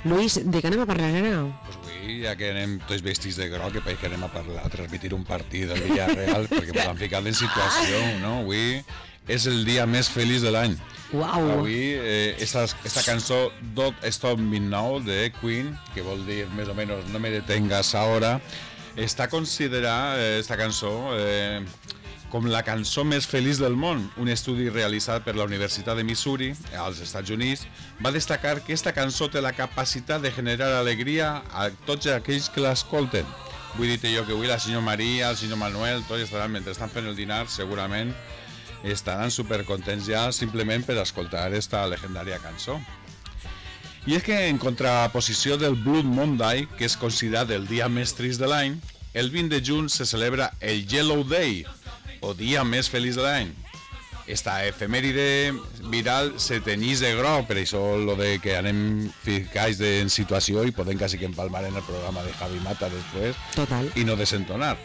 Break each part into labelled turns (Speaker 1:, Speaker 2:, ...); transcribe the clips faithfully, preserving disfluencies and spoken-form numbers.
Speaker 1: Luis, de què anem a parlar ara?
Speaker 2: Pues avui, ja que anem tots vestits de groc, que que anem a parlar, a transmitir un partit del Villarreal, perquè ens han ficat en situació, no? Avui és el dia més feliç de l'any.
Speaker 1: Uau!
Speaker 2: Avui, eh, esta, esta cançó Don't Stop Me Now de Queen, que vol dir més o menys no me detengas ahora, està considerada, eh, esta cançó, eh, com la cançó més feliç del món. Un estudi realitzat per la Universitat de Missouri, als Estats Units, va destacar que esta cançó té la capacitat de generar alegria a tots aquells que l'escolten. Vull dir-te jo que avui la senyora Maria, el senyor Manuel, tots estaran, mentre estan fent el dinar, segurament estaran supercontents ja simplement per escoltar esta legendària cançó. I és que en contraposició del Blood Monday, que és considerat el dia més trist de l'any, el vint de juny se celebra el Yellow Day, o dia més feliç de l'any. Esta efemèride viral se tenyís de groc, per això lo de que anem ficats en situació i podem quasi que empalmar en el programa de Javi Mata després.
Speaker 1: Total.
Speaker 2: I no desentonar.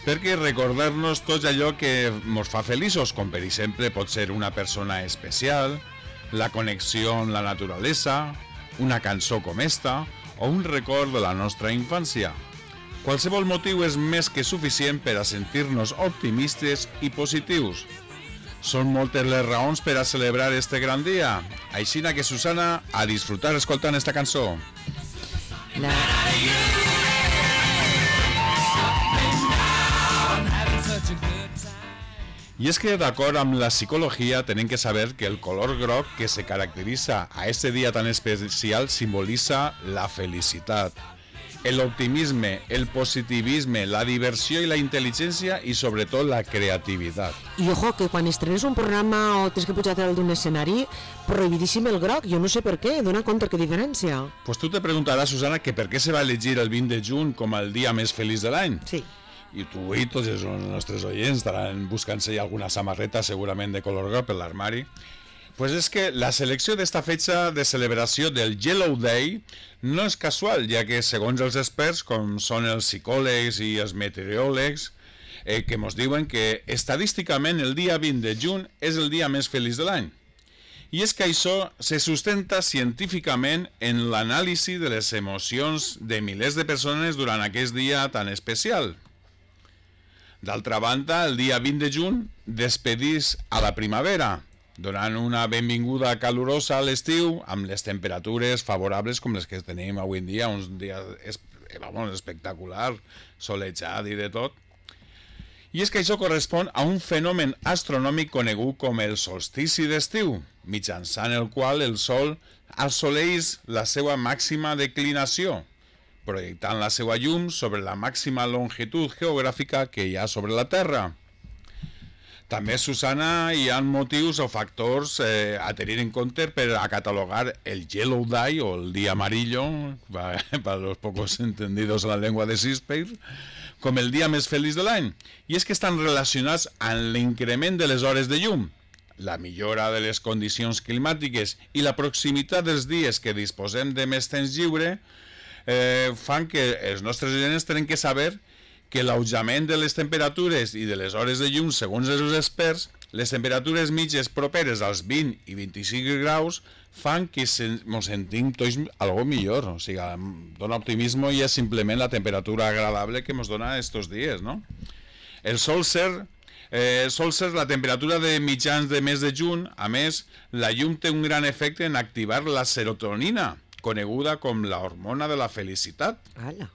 Speaker 2: Perquè recordar-nos tot allò que ens fa feliços, com per exemple pot ser una persona especial, la connexió amb la naturalesa, una cançó com esta o un record de la nostra infància. Qualsevol motiu és més que suficient per a sentir-nos optimistes i positius. Són moltes les raons per a celebrar este gran dia. Aixina que, Susana, a disfrutar escoltant esta cançó.
Speaker 1: La...
Speaker 2: I és que, d'acord amb la psicologia, tenim que saber que el color groc que se caracteritza a este dia tan especial simbolitza la felicitat, el optimisme, el positivisme, la diversió i la intel·ligència i sobretot la creativitat.
Speaker 1: I ojo, que quan estrenes un programa o tens que pujar dalt d'un escenari, prohibidíssim el groc, jo no sé per què, dona compte que diferència.
Speaker 2: Pues tu te preguntaràs, Susana, que per què se va elegir el vint de juny com el dia més feliç de l'any.
Speaker 1: Sí.
Speaker 2: I tu i tots els nostres oients estaran buscant-se alguna samarreta segurament de color groc per l'armari. Pues és que la selecció d'esta fetge de celebració del Yellow Day no és casual, ja que segons els experts, com són els psicòlegs i els meteoròlegs, eh, que ens diuen que estadísticament el dia vint de juny és el dia més feliç de l'any. I és que això se sustenta científicament en l'anàlisi de les emocions de milers de persones durant aquest dia tan especial. D'altra banda, el dia vint de juny despedís a la primavera, donant una benvinguda calorosa a l'estiu amb les temperatures favorables com les que tenim avui en dia, uns dies vamos, espectacular, solejat i de tot. I és que això correspon a un fenomen astronòmic conegut com el solstici d'estiu, mitjançant el qual el Sol assoleix la seva màxima declinació, projectant la seva llum sobre la màxima longitud geogràfica que hi ha sobre la Terra. També, Susana, hi ha motius o factors eh, a tenir en compte per a catalogar el Yellow Day o el Día Amarillo, para los pocos entendidos en la lengua de Shakespeare, com el dia més feliç de l'any. I és que estan relacionats amb l'increment de les hores de llum, la millora de les condicions climàtiques i la proximitat dels dies que disposem de més temps lliure eh, fan que els nostres oients tenen que saber que l'augment de les temperatures i de les hores de llum, segons els experts, les temperatures mitges properes als vint i vint-i-cinc graus fan que ens sentim tots algo millor. O sigui, dona optimisme i és simplement la temperatura agradable que ens dona estos dies, no? El sol ser, eh, sol ser la temperatura de mitjans de mes de juny. A més, la llum té un gran efecte en activar la serotonina, coneguda com la hormona de la felicitat.
Speaker 1: Ala.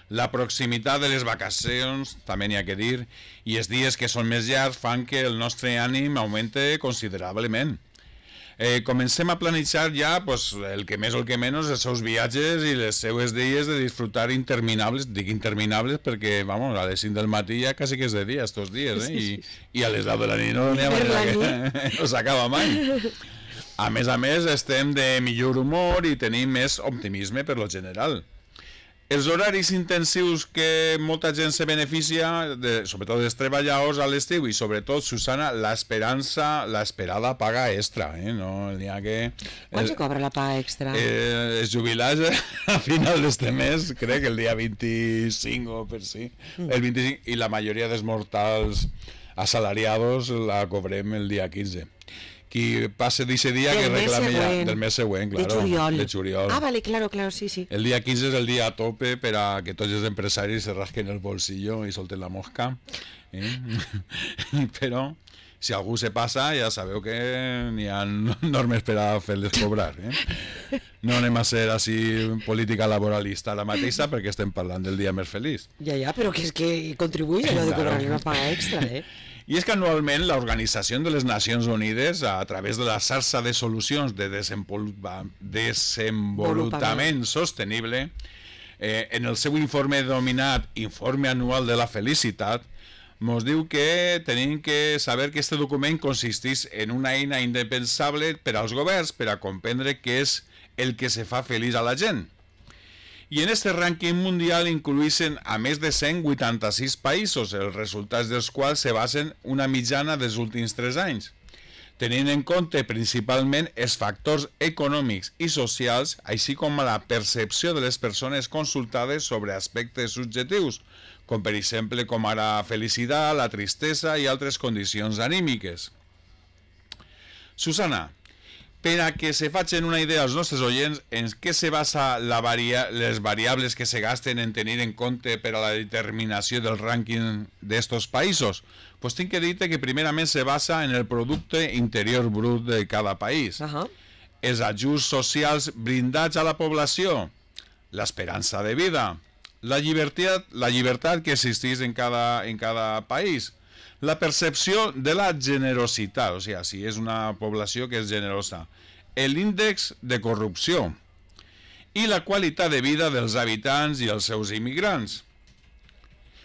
Speaker 2: La proximitat de les vacacions, també n'hi ha que dir, i els dies que són més llargs fan que el nostre ànim augmente considerablement. Eh, comencem a planejar ja pues, el que més o el que menys els seus viatges i les seues dies de disfrutar interminables, dic interminables perquè vamos, a les cinc del matí ja quasi que és de dia estos dies, eh? I, i a les deu de la nit no n'hi ha manera que no s'acaba mai. A més a més estem de millor humor i tenim més optimisme per lo general. Els horaris intensius que molta gent se beneficia, de, sobretot els treballadors a l'estiu i sobretot, Susana, l'esperança, l'esperada paga extra, eh? No n'hi ha que...
Speaker 1: Quan se cobra la paga extra?
Speaker 2: Eh, els jubilats a final d'este mes, crec que el dia vint-i-cinc o per si, el vint-i-cinc, i la majoria dels mortals assalariados la cobrem el dia quinze. qui passe d'aquest dia
Speaker 1: Del
Speaker 2: que
Speaker 1: mes
Speaker 2: reclame ja
Speaker 1: següent.
Speaker 2: del mes següent,
Speaker 1: De
Speaker 2: claro,
Speaker 1: juliol.
Speaker 2: de juliol.
Speaker 1: Ah, vale, claro, claro, sí, sí.
Speaker 2: El dia quinze és el dia a tope per a que tots els empresaris se rasquen el bolsillo i solten la mosca. Eh? Però si algú se passa, ja sabeu que n'hi ha normes per a fer-les cobrar. Eh? No anem a ser així política laboralista ara mateixa perquè estem parlant del dia més feliç.
Speaker 1: Ja, ja, però que és que contribuïs allò de cobrar una paga extra, eh?
Speaker 2: I és que anualment l'Organització de les Nacions Unides, a través de la xarxa de solucions de desenvolupa, desenvolupament sostenible, eh, en el seu informe denominat Informe Anual de la Felicitat, ens diu que tenim que saber que aquest document consisteix en una eina indispensable per als governs per a comprendre què és el que se fa feliç a la gent. I en este rànquing mundial incluïssin a més de cent vuitanta-sis països, els resultats dels quals se basen una mitjana dels últims tres anys, tenint en compte principalment els factors econòmics i socials, així com la percepció de les persones consultades sobre aspectes subjectius, com per exemple com ara felicitat, la tristesa i altres condicions anímiques. Susana, per a que se facin una idea als nostres oients en què se basa la varia les variables que se gasten en tenir en compte per a la determinació del rànquing d'estos països, pues tinc que dir-te que primerament se basa en el producte interior brut de cada país,
Speaker 1: Uh-huh.
Speaker 2: els ajuts socials brindats a la població, l'esperança de vida, la llibertat, la llibertat que existeix en cada, en cada país, la percepció de la generositat, o sigui, si és una població que és generosa, l'índex de corrupció i la qualitat de vida dels habitants i els seus immigrants.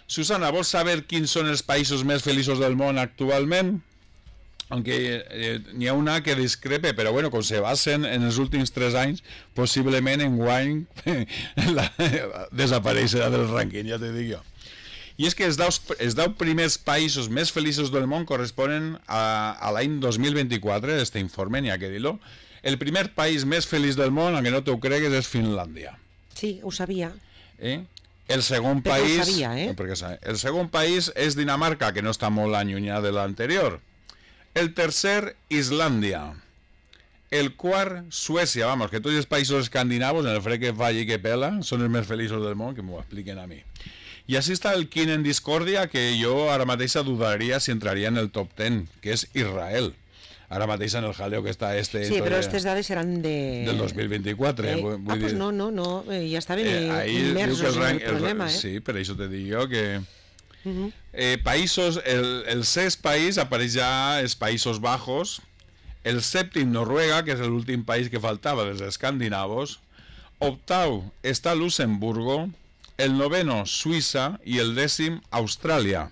Speaker 2: Susana, vols saber quins són els països més feliços del món actualment? Aunque eh, n'hi ha una que discrepe, però bueno, com se basen en els últims tres anys, possiblement en guany la, desapareixerà del rànquing, ja te dic jo. I és que els deu, els deu primers països més feliços del món corresponen a, a l'any dos mil vint-i-quatre, este informe, n'hi ha que dir-lo. El primer país més feliç del món, aunque no t'ho cregues, és Finlàndia.
Speaker 1: Sí, ho sabia.
Speaker 2: Eh? El segon
Speaker 1: Perquè
Speaker 2: país...
Speaker 1: ho sabia, eh?
Speaker 2: Perquè, el segon país és Dinamarca, que no està molt allunyat de l'anterior. El tercer, Islàndia. El quart, Suècia. Vamos, que tots els països escandinavos, en el fred que fa i que pela, són els més feliços del món, que m'ho expliquen a mi. I així està el quint en discòrdia, que jo ara mateixa dudaria si entraria en el top ten, que és Israel. Ara mateix en el jaleo que està este...
Speaker 1: Sí, però aquestes dades seran de...
Speaker 2: del dos mil vint-i-quatre.
Speaker 1: Eh?
Speaker 2: Vull, vull
Speaker 1: ah, doncs
Speaker 2: dir...
Speaker 1: no, no, no, eh, ja estaven
Speaker 2: Eh,
Speaker 1: eh,
Speaker 2: ahí diu que
Speaker 1: immersos
Speaker 2: el
Speaker 1: en
Speaker 2: rang,
Speaker 1: el problema,
Speaker 2: el,
Speaker 1: eh?
Speaker 2: Sí, per això te dic jo que...
Speaker 1: Uh -huh.
Speaker 2: Eh, països, el, el sext país apareix ja els Països Bajos, el sèptim Noruega, que és l'últim país que faltava dels escandinavos, octau està Luxemburgo, el noveno Suïssa i el dècim Austràlia.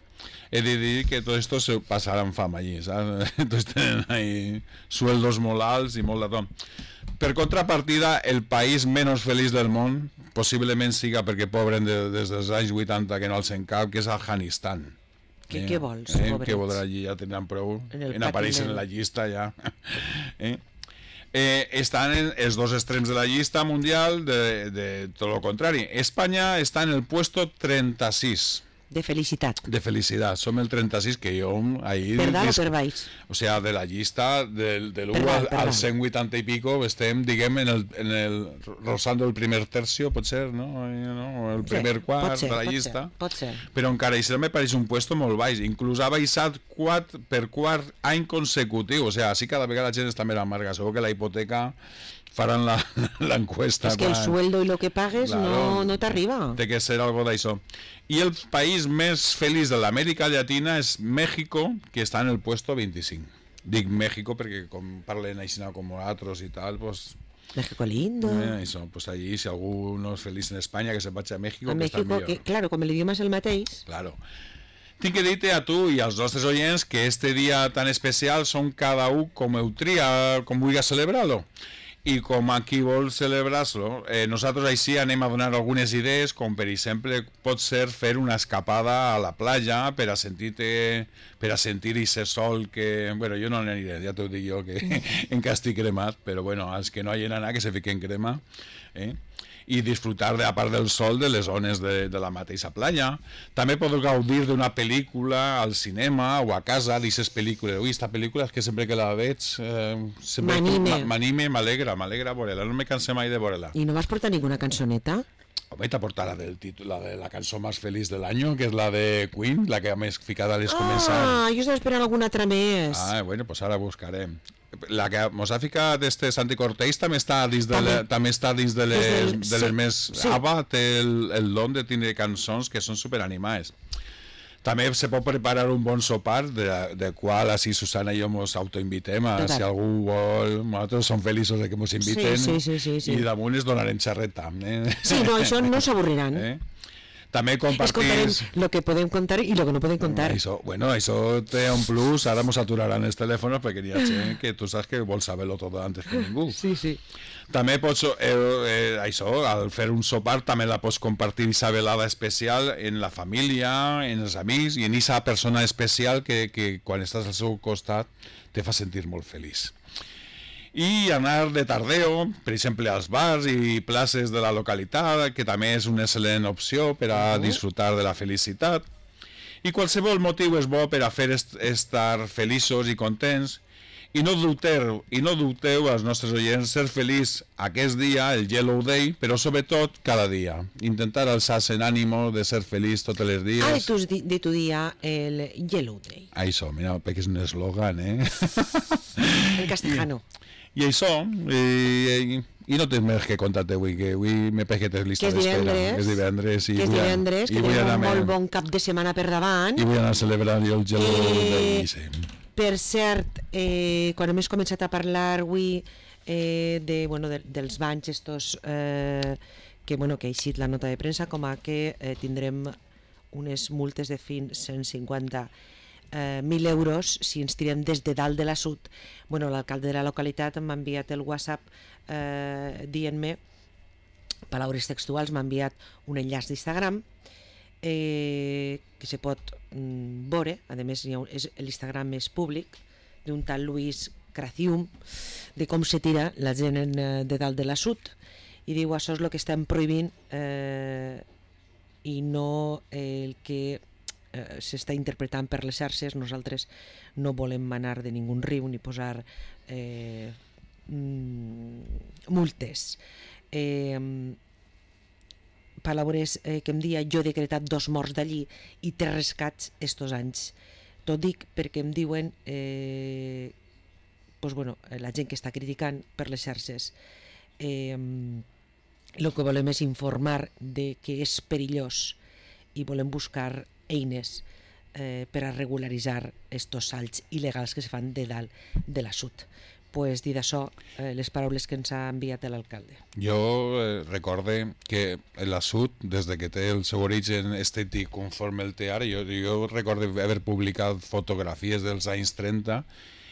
Speaker 2: He de dir que tots estos se passaran fam allí, saps? Tots tenen ahí sueldos molt alts i molt de tot. Per contrapartida, el país menys feliç del món possiblement siga perquè pobren de, des dels anys vuitanta que no els en cap, que és Afganistan.
Speaker 1: Què,
Speaker 2: eh?
Speaker 1: què vols,
Speaker 2: eh?
Speaker 1: pobrets?
Speaker 2: Què voldrà allí? Ja tindran prou
Speaker 1: En el
Speaker 2: en aparèixer
Speaker 1: patiment.
Speaker 2: en la llista ja. eh? Eh, estan en els dos extrems de la llista mundial de, de tot el contrari. Espanya està en el puesto trenta-sis
Speaker 1: De felicitat.
Speaker 2: de felicitat. Som el trenta-sis, que jo ahir...
Speaker 1: Per dalt o
Speaker 2: dis-
Speaker 1: per baix?
Speaker 2: o sea, de la llista del, de l'u
Speaker 1: Per
Speaker 2: al,
Speaker 1: dalt, per
Speaker 2: al
Speaker 1: dalt.
Speaker 2: cent vuitanta i pico estem, diguem, en el, en el rozando el primer tercio, pot ser, no? Eh, no? El primer
Speaker 1: Sí,
Speaker 2: quart
Speaker 1: pot ser,
Speaker 2: de la
Speaker 1: pot
Speaker 2: llista.
Speaker 1: Ser, pot ser.
Speaker 2: Però encara això me pareix un puesto molt baix. Inclús ha baixat quart, per quart any consecutiu. O sea, així cada vegada la gent està més amarga. Segur que la hipoteca faran la- l'encuesta.
Speaker 1: És que el
Speaker 2: quan-
Speaker 1: sueldo i lo que pagues
Speaker 2: Claro.
Speaker 1: no, no t'arriba.
Speaker 2: Té que ser algo d'això. I el país més feliç de l'Amèrica Llatina és México, que està en el puesto vint-i-cinc. Dic México perquè com parlen així com nosaltres i tal, pues,
Speaker 1: México lindo.
Speaker 2: eh, això, pues allí, si algú no és feliç en Espanya, que se vagi a México,
Speaker 1: a
Speaker 2: que està
Speaker 1: México,
Speaker 2: millor.
Speaker 1: que, claro, com l'idioma és el mateix,
Speaker 2: Claro. Tinc que dir-te a tu i als nostres oients que este dia tan especial són cada un com ho tria, com vulgui celebrar-lo. I com a qui vol celebrar-lo, eh, nosaltres així anem a donar algunes idees, com per exemple pot ser fer una escapada a la platja per a sentir-te, per a sentir ese sol que... Bueno, jo no aniré, ja t'ho dic jo, que encara estic cremat, però bueno, els que no hagin anat que se fiquen crema. Eh? i disfrutar, de, a part del sol, de les zones de, de la mateixa playa. També podeu gaudir d'una pel·lícula al cinema o a casa, d'aquestes pel·lícules. Ui, esta pel·lícula és que sempre que la veig eh,
Speaker 1: m'anime,
Speaker 2: m'anime, m'alegra, m'alegra veure-la, no me canse mai de veure-la.
Speaker 1: I no vas portar ninguna cançoneta?
Speaker 2: Home, t'ha portat la del títol, la de la cançó més feliç de l'any, que és la de Queen, la que més ficada a les començades.
Speaker 1: Ah, jo estava esperant alguna altra més.
Speaker 2: Ah, bueno, pues ara buscarem. La que mos ha ficat este Santi Cortés també està dins de, també. Le, també està dins de les, del, de les sí, més... Sí. ABBA té el, el don de tindre cançons que són superanimades. També se pot preparar un bon sopar, de, de qual així Susana i jo ens autoinvitem, a, si algú vol, nosaltres som feliços de que ens inviten,
Speaker 1: sí, sí, sí, sí, sí.
Speaker 2: i damunt es donarem xerreta. Eh?
Speaker 1: Sí, no, això no s'avorriran. Eh?
Speaker 2: També compartir...
Speaker 1: Escoltarem el que podem contar i el que no podem contar.
Speaker 2: Això, bueno, això té un plus, ara ens aturaran els telèfons perquè hi ha gent que tu saps que vol saber-lo tot antes que ningú.
Speaker 1: Sí, sí.
Speaker 2: També pots, eh, eh, això, al fer un sopar també la pots compartir aquesta velada especial en la família, en els amics i en aquesta persona especial que, que quan estàs al seu costat te fa sentir molt feliç. I anar de tardeo, per exemple, als bars i places de la localitat, que també és una excel·lent opció per a disfrutar de la felicitat. I qualsevol motiu és bo per a fer est estar feliços i contents. I no dubteu, i no dubteu als nostres oients ser feliç aquest dia, el Yellow Day, però sobretot cada dia. Intentar alçar-se en ànimo de ser feliç tots els dies.
Speaker 1: Ah, de tu, de tu dia, el Yellow Day.
Speaker 2: Això, mira, perquè és un eslògan, eh?
Speaker 1: En castellano.
Speaker 2: I, i això, i, i no tens més que contar-te avui, que avui me peguetes llista d'espera.
Speaker 1: Que és divendres.
Speaker 2: Que és divendres. I
Speaker 1: que és divendres, que tenim un molt bon cap de setmana per davant.
Speaker 2: I vull anar a celebrar jo el Yellow
Speaker 1: eh...
Speaker 2: Day, sí.
Speaker 1: Per cert, eh, quan hem començat a parlar avui eh, de, bueno, de, dels banys estos, eh, que, bueno, que ha eixit la nota de premsa, com a que eh, tindrem unes multes de fins cent cinquanta mil eh, euros si ens tirem des de dalt de la sud. Bueno, l'alcalde de la localitat m'ha enviat el WhatsApp eh, dient-me, paraules textuals, m'ha enviat un enllaç d'Instagram eh, que se pot mm, veure, a més l'Instagram és públic, d'un tal Luis Cracium, de com se tira la gent en, de dalt de la sud, i diu això és el que estem prohibint eh, i no el que eh, s'està interpretant per les xarxes. Nosaltres no volem manar de ningú riu ni posar eh, mm, multes. Eh, paraules eh, que em dia jo he decretat dos morts d'allí i tres rescats estos anys. Tot dic perquè em diuen eh, pues bueno, la gent que està criticant per les xarxes eh, el que volem és informar de que és perillós i volem buscar eines eh, per a regularitzar estos salts il·legals que se fan de dalt de la sud. Pues, dit això, eh, les paraules que ens ha enviat l'alcalde.
Speaker 2: Jo eh, recorde que la sud, des de que té el seu origen estètic conforme el té ara, jo, jo recorde haver publicat fotografies dels anys trenta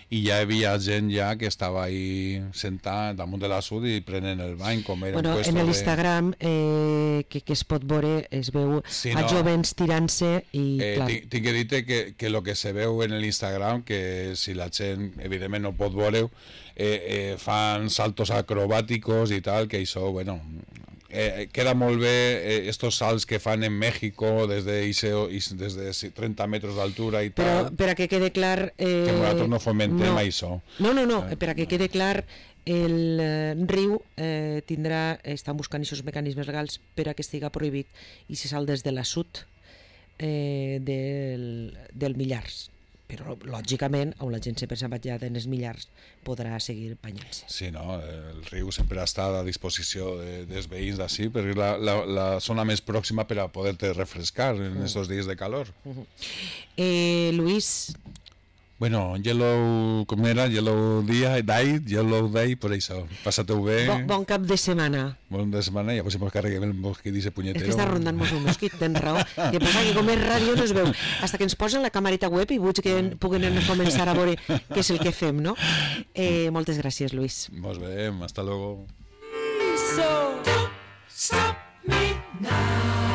Speaker 2: i ja hi havia gent ja que estava ahí sentat damunt de la sud i prenent el bany, com era
Speaker 1: bueno,
Speaker 2: un puesto
Speaker 1: en
Speaker 2: de...
Speaker 1: l'Instagram eh, que, que es pot veure, es veu
Speaker 2: sí,
Speaker 1: a
Speaker 2: no.
Speaker 1: jovens tirant-se i
Speaker 2: eh,
Speaker 1: clar.
Speaker 2: Tinc, tinc que dir-te que, que el que se veu en l'Instagram, que si la gent evidentment no pot veure, eh, eh, fan saltos acrobàticos i tal, que això, bueno... Eh, queda molt bé eh, estos salts que fan en México des de, des de trenta metres d'altura i
Speaker 1: però
Speaker 2: tal,
Speaker 1: per a que quede clar eh,
Speaker 2: que nosaltres no fomentem
Speaker 1: no,
Speaker 2: això
Speaker 1: no, no, no,
Speaker 2: eh.
Speaker 1: per a que quede clar el eh, riu eh, tindrà, estan buscant aquests mecanismes legals per a que estiga prohibit i se sal des de la sud eh, del, del Millars, però lògicament on la gent sempre s'ha batllat en els Millars podrà seguir banyant-se.
Speaker 2: Sí, no? El riu sempre està a disposició de, dels veïns d'ací, perquè és la, la, la zona més pròxima per a poder-te refrescar en aquests dies de calor.
Speaker 1: Uh-huh. eh, Luis...
Speaker 2: Bueno, Yellow, com era? Yellow Day, Day, Yellow Day, per això. Passa-t'ho bé.
Speaker 1: Bon, bon cap de setmana.
Speaker 2: Bon de setmana, i a si mos carreguem el mosquit i ese punyetero.
Speaker 1: És que està rondant-nos un mosquit, tens raó. Que passa que com és ràdio no es veu. Hasta que ens posen la camarita web i vull que puguen començar a veure què és el que fem, no? Eh, moltes gràcies, Luis.
Speaker 2: Mos veiem, hasta luego.
Speaker 3: So, don't stop me now.